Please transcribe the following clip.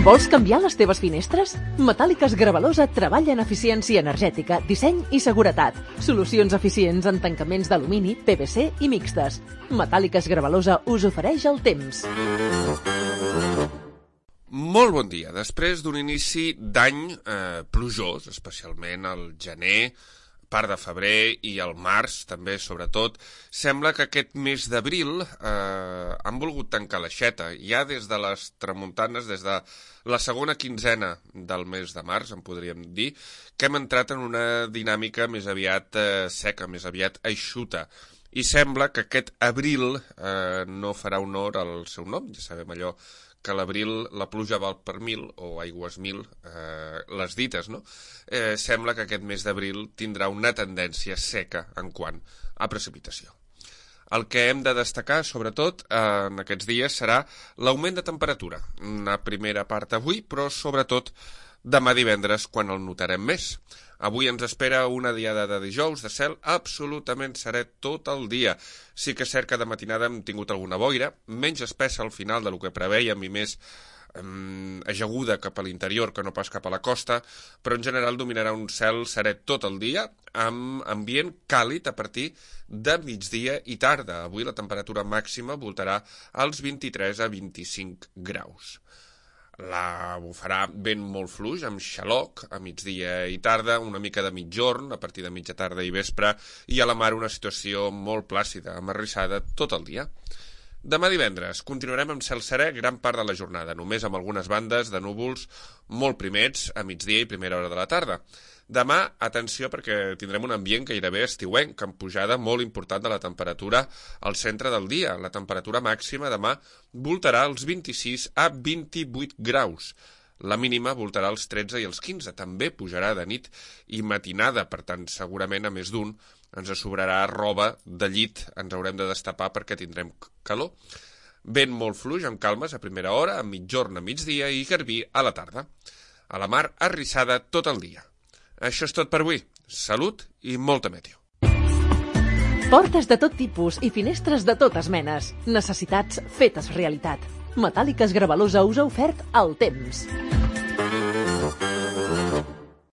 Vols canviar les teves finestres? Metàl·liques Gravalosa treballa en eficiència energètica, disseny i seguretat. Solucions eficients en tancaments d'alumini, PVC i mixtes. Metàl·liques Gravalosa us ofereix el temps. Molt bon dia. Després d'un inici d'any plujós, especialment al gener, part de febrer i al març, també, sobretot, sembla que aquest mes d'abril han volgut tancar l'aixeta. Ja des de les tramuntanes, des de la segona quinzena del mes de març, en podríem dir, que hem entrat en una dinàmica més aviat seca, més aviat eixuta. I sembla que aquest abril no farà honor al seu nom. Ja sabem allò que a l'abril la pluja val per 1000, o aigües 1000, les dites, no? Sembla que aquest mes d'abril tindrà una tendència seca en quant a precipitació. El que hem de destacar, sobretot, en aquests dies serà l'augment de temperatura. Una primera part avui, però sobretot demà divendres, quan el notarem més. Avui ens espera una diada de dijous de cel absolutament serè tot el dia. Sí que és cert que de matinada hem tingut alguna boira, menys espessa al final del que preveiem i més ajaguda cap a l'interior que no pas cap a la costa, però en general dominarà un cel serè tot el dia, amb ambient càlid a partir de migdia i tarda. Avui la temperatura màxima voltarà als 23 a 25 graus. La bufarà vent molt fluix, amb xaloc, a migdia i tarda, una mica de mitjorn, a partir de mitja tarda i vespre, i a la mar una situació molt plàcida, amarrissada tot el dia. Demà divendres continuarem amb cel serè gran part de la jornada, només amb algunes bandes de núvols molt primets a migdia i primera hora de la tarda. Demà, atenció, perquè tindrem un ambient gairebé estiuenc, amb pujada molt important de la temperatura al centre del dia. La temperatura màxima demà voltarà als 26 a 28 graus. La mínima voltarà als 13 i als 15. També pujarà de nit i matinada, per tant, segurament a més d'un ens sobrarà roba de llit, ens haurem de destapar perquè tindrem calor. Vent molt fluix, amb calmes a primera hora, a mitjorn a migdia i garbí a la tarda. A la mar, arrissada tot el dia. Això és tot per avui. Salut i molta meteo. Portes de tot tipus i finestres de totes menes. Necessitats fetes realitat. Metàl·liques Gravalosa us ha ofert el temps.